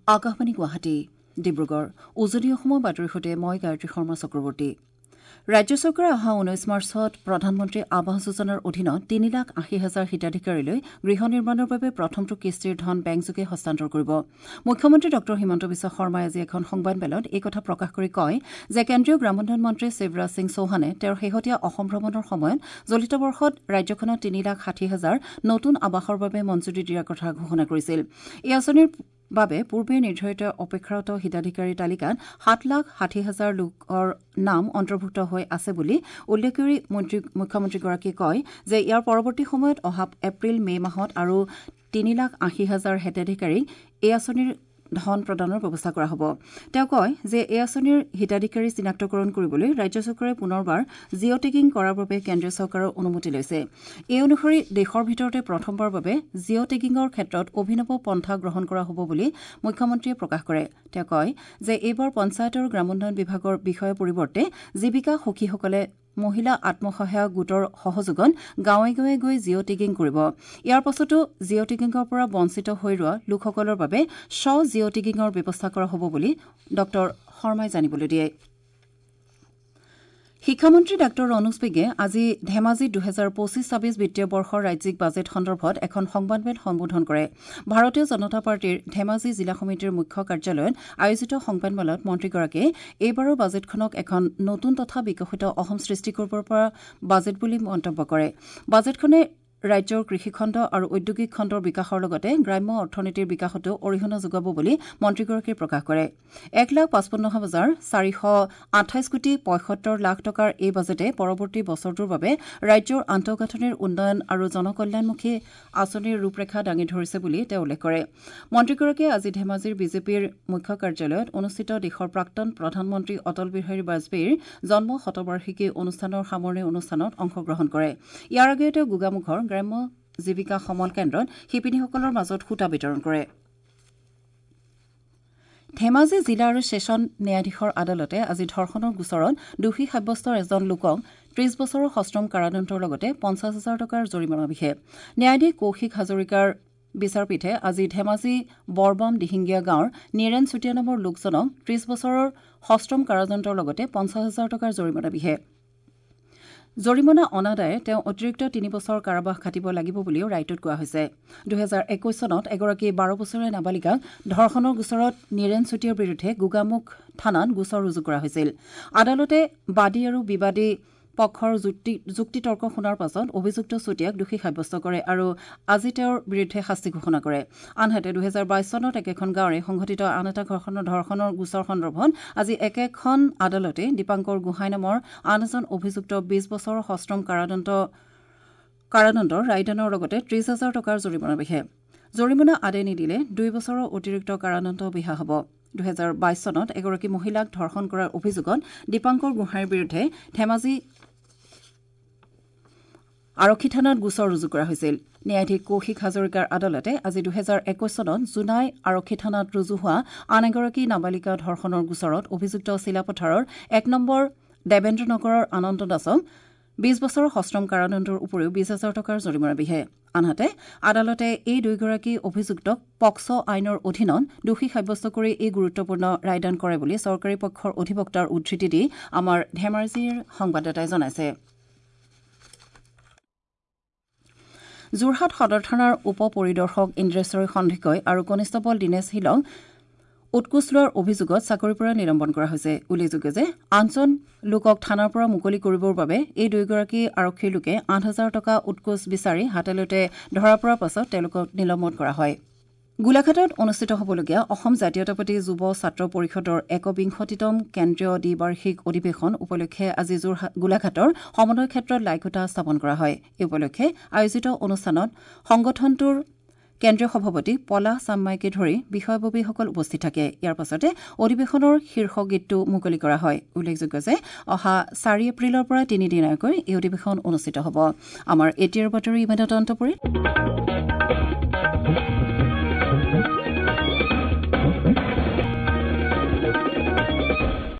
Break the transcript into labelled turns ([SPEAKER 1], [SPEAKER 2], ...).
[SPEAKER 1] আকাশবাণী গুৱাহাটী ডিব্ৰুগড় উজনি অসমৰ বাতৰিৰ সৈতে মই গায়ত্ৰী শৰ্মা চক্ৰৱৰ্তী। ৰাজ্য চৰকাৰে অহা ১৯ মাৰ্চত প্ৰধানমন্ত্ৰী আৱাস যোজনাৰ অধীনত ৩,৮০,০০০ হিতাধিকাৰীলৈ গৃহ নিৰ্মাণৰ বাবে প্ৰথমটো কিস্তিৰ ধন বেংকযোগে হস্তান্তৰ কৰিব। মুখ্যমন্ত্ৰী ডঃ হিমন্ত বিশ্ব শৰ্মাই আজি এখন সংবাদমেলত এই কথা প্ৰকাশ কৰি কয় যে কেন্দ্ৰীয় গ্ৰামোন্নয়ন মন্ত্ৰী শিৱৰাজ সিং চৌহানে তেওঁৰ শেহতীয়া অসম ভ্ৰমণৰ সময়ত চলিত বৰ্ষত ৰাজ্যখনত ৩,৬০,০০০ নতুন আৱাসৰ বাবে মঞ্জুৰি দিয়াৰ কথা ঘোষণা কৰিছিল। এই আঁচনিৰ বাবে পূৰ্বে নিৰ্ধাৰিত অপেক্ষাৰত হিতাধিকাৰীৰ তালিকাত ৭,৬০,০০০ লোকৰ নাম অন্তৰ্ভুক্ত হৈ আছে বুলি উল্লেখ কৰি মুখ্যমন্ত্ৰীগৰাকীয়ে কয় যে ইয়াৰ পৰৱৰ্তী সময়ত অহা এপ্ৰিল মে মাহত আৰু ৩,৮০,০০০ হিতাধিকাৰীক এই আঁচনিৰ ধন প্ৰদানৰ ব্যৱস্থা কৰা হ'ব। তেওঁ কয় যে এই আঁচনিৰ হিতাধিকাৰী চিনাক্তকৰণ কৰিবলৈ ৰাজ্য চৰকাৰে পুনৰবাৰ জিঅ' টেগিং কৰাৰ বাবে কেন্দ্ৰীয় চৰকাৰৰ অনুমতি লৈছে। এই অনুসৰি দেশৰ ভিতৰতে প্ৰথমবাৰৰ বাবে জিঅ' টেগিঙৰ ক্ষেত্ৰত অভিনৱ পন্থা গ্ৰহণ কৰা হ'ব বুলি মুখ্যমন্ত্ৰীয়ে প্ৰকাশ কৰে। তেওঁ কয় যে এইবাৰ পঞ্চায়ত আৰু গ্ৰামোন্নয়ন বিভাগৰ বিষয়াৰ পৰিৱৰ্তে জীৱিকা সখীসকলে মহিলা আত্মসহায়ক গোটৰ সহযোগত গাঁৱে গাঁৱে গৈ জিঅ' টেগিং কৰিব। ইয়াৰ পাছতো জিঅ' টেগিঙৰ পৰা বঞ্চিত হৈ ৰোৱা লোকসকলৰ বাবে স্ব জিঅ' টেগিঙৰ ব্যৱস্থা কৰা হ'ব বুলি ডঃ শৰ্মাই জানিবলৈ দিয়ে। শিক্ষামন্ত্ৰী ডাঃ ৰণোজ পেগুৱে আজি ধেমাজিত ২০২৫-২৬ বিত্তীয় বৰ্ষৰ ৰাজ্যিক বাজেট সন্দৰ্ভত এখন সংবাদমেল সম্বোধন কৰে। ভাৰতীয় জনতা পাৰ্টীৰ ধেমাজি জিলা সমিতিৰ মুখ্য কাৰ্যালয়ত আয়োজিত সংবাদমেলত মন্ত্ৰীগৰাকীয়ে এইবাৰৰ বাজেটখনক এখন নতুন তথা বিকশিত অসম সৃষ্টি কৰিব পৰা বাজেট বুলি মন্তব্য কৰে। বাজেটখনে ৰাজ্যৰ কৃষিখণ্ড আৰু ঔদ্যোগিক খণ্ডৰ বিকাশৰ লগতে গ্ৰাম্য অৰ্থনীতিৰ বিকাশতো অৰিহণা যোগাব বুলি মন্ত্ৰীগৰাকীয়ে প্ৰকাশ কৰে। ১,৫৫,৪২৮ কোটি ৭৫ লাখ টকাৰ এই বাজেটে পৰৱৰ্তী বছৰটোৰ বাবে ৰাজ্যৰ আন্তঃগাঁথনিৰ উন্নয়ন আৰু জনকল্যাণমুখী আঁচনিৰ ৰূপৰেখা দাঙি ধৰিছে বুলি তেওঁ উল্লেখ কৰে। মন্ত্ৰীগৰাকীয়ে আজি ধেমাজিৰ বিজেপিৰ মুখ্য কাৰ্যালয়ত অনুষ্ঠিত দেশৰ প্ৰাক্তন প্ৰধানমন্ত্ৰী অটল বিহাৰী বাজপেয়ীৰ জন্ম শতবাৰ্ষিকী অনুষ্ঠানৰ সামৰণি অনুষ্ঠানত অংশগ্ৰহণ কৰে। ইয়াৰ আগেয়ে তেওঁ গোগামুখৰ গ্ৰাম্য জীৱিকা সমল কেন্দ্ৰত শিপিনীসকলৰ মাজত সূতা বিতৰণ কৰে। ধেমাজি জিলা আৰু ছেছন ন্যায়াধীশৰ আদালতে আজি ধৰ্ষণৰ গোচৰত দোষী সাব্যস্ত এজন লোকক ৩০ বছৰৰ সশ্ৰম কাৰাদণ্ডৰ লগতে ৫০,০০০ টকাৰ জৰিমনা বিহে। ন্যায়াধীশ কৌশিক হাজৰিকাৰ বিচাৰপীঠে আজি ধেমাজি বৰবাম দিহিঙ্গীয়া গাঁৱৰ নীৰেন চুতীয়া নামৰ লোকজনক ৩০ বছৰৰ সশ্ৰম কাৰাদণ্ডৰ লগতে ৫০,০০০ টকাৰ জৰিমনা বিহে। জৰিমনা অনাদায়ে তেওঁ অতিৰিক্ত ৩ বছৰ কাৰাবাস খাটিব লাগিব বুলিও ৰায়টোত কোৱা হৈছে। ২০২১ চনত এগৰাকী ১২ বছৰীয়া নাবালিকাক ধৰ্ষণৰ গোচৰত নীৰেন চুতীয়াৰ বিৰুদ্ধে গোগামুখ থানাত গোচৰ ৰুজু কৰা হৈছিল। আদালতে বাদী আৰু বিবাদী পক্ষৰ যুক্তিতৰ্ক শুনাৰ পাছত অভিযুক্ত চুতীয়াক দোষী সাব্যস্ত কৰে আৰু আজি তেওঁৰ বিৰুদ্ধে শাস্তি ঘোষণা কৰে। আনহাতে ২০২২ চনত একেখন গাঁৱৰে সংঘটিত আন এটা ধৰ্ষণৰ গোচৰ সন্দৰ্ভত আজি একেখন আদালতে দীপাংকৰ গোহাঁই নামৰ আন এজন অভিযুক্ত ২০ বছৰৰ সশ্ৰম কাৰাদণ্ডৰ ৰায়দানৰ লগতে ৩০,০০০ টকাৰ জৰিমনা বিহে। জৰিমনা আদায় নিদিলে ২ বছৰৰ অতিৰিক্ত কাৰাদণ্ড বিহা হ'ব। ২০২২ চনত এগৰাকী মহিলাক ধৰ্ষণ কৰাৰ অভিযোগত দীপাংকৰ গোহাঁইৰ বিৰুদ্ধে ধেমাজি আৰক্ষী থানাত গোচৰ ৰুজু কৰা হৈছিল। ন্যায়াধীশ কৌশিক হাজৰিকাৰ আদালতে আজি ২০২১ চনত জোনাই আৰক্ষী থানাত ৰুজু হোৱা আন এগৰাকী নাবালিকা ধৰ্ষণৰ গোচৰত অভিযুক্ত চিলাপথাৰৰ ১ নম্বৰ দেৱেন্দ্ৰ নগৰৰ আনন্দ দাসক ২০ বছৰৰ সশ্ৰম কাৰাদণ্ডৰ উপৰিও ২০,০০০ টকাৰ জৰিমনা বিহে। আনহাতে আদালতে এই দুয়োগৰাকী অভিযুক্তক পক্স আইনৰ অধীনত দোষী সাব্যস্ত কৰি এই গুৰুত্বপূৰ্ণ ৰায়দান কৰে বুলি চৰকাৰী পক্ষৰ অধিবক্তাৰ উদ্ধৃতি দি আমাৰ ধেমাজিৰ সংবাদদাতাই জনাইছে। যোৰহাট সদৰ থানাৰ উপ পৰিদৰ্শক ইন্দ্ৰেশ্বৰ সন্দিকৈ আৰু কনিষ্টবল দীনেশ শীলক উৎকোচ লোৱাৰ অভিযোগত চাকৰিৰ পৰা নিলম্বন কৰা হৈছে। উল্লেখযোগ্য যে আঠজন লোকক থানাৰ পৰা মুকলি কৰিবৰ বাবে এই দুয়োগৰাকী আৰক্ষীৰ লোকে ৮,০০০ টকা উৎকোচ বিচাৰি হাতেলোটে ধৰা পৰাৰ পাছত তেওঁলোকক নিলম্বন কৰা হয়। গোলাঘাটত অনুষ্ঠিত হ'বলগীয়া অসম জাতীয়তাবাদী যুৱ ছাত্ৰ পৰিষদৰ ২১তম কেন্দ্ৰীয় দ্বিবাৰ্ষিক অধিৱেশন উপলক্ষে আজি গোলাঘাটৰ সমন্বয় ক্ষেত্ৰত লাইখুঁটা স্থাপন কৰা হয়। এই উপলক্ষে আয়োজিত অনুষ্ঠানত সংগঠনটোৰ কেন্দ্ৰীয় সভাপতি পলাশ চাংমাইকে ধৰি বিষয়ববীয়াসকল উপস্থিত থাকে। ইয়াৰ পাছতে অধিৱেশনৰ শীৰ্ষ গীতটো মুকলি কৰা হয়। উল্লেখযোগ্য যে অহা ৪ এপ্ৰিলৰ পৰা তিনিদিনীয়াকৈ এই অধিৱেশন অনুষ্ঠিত হ'ব। আমাৰ এতিয়াৰ বাতৰি ইমানতে অন্ত পৰিল।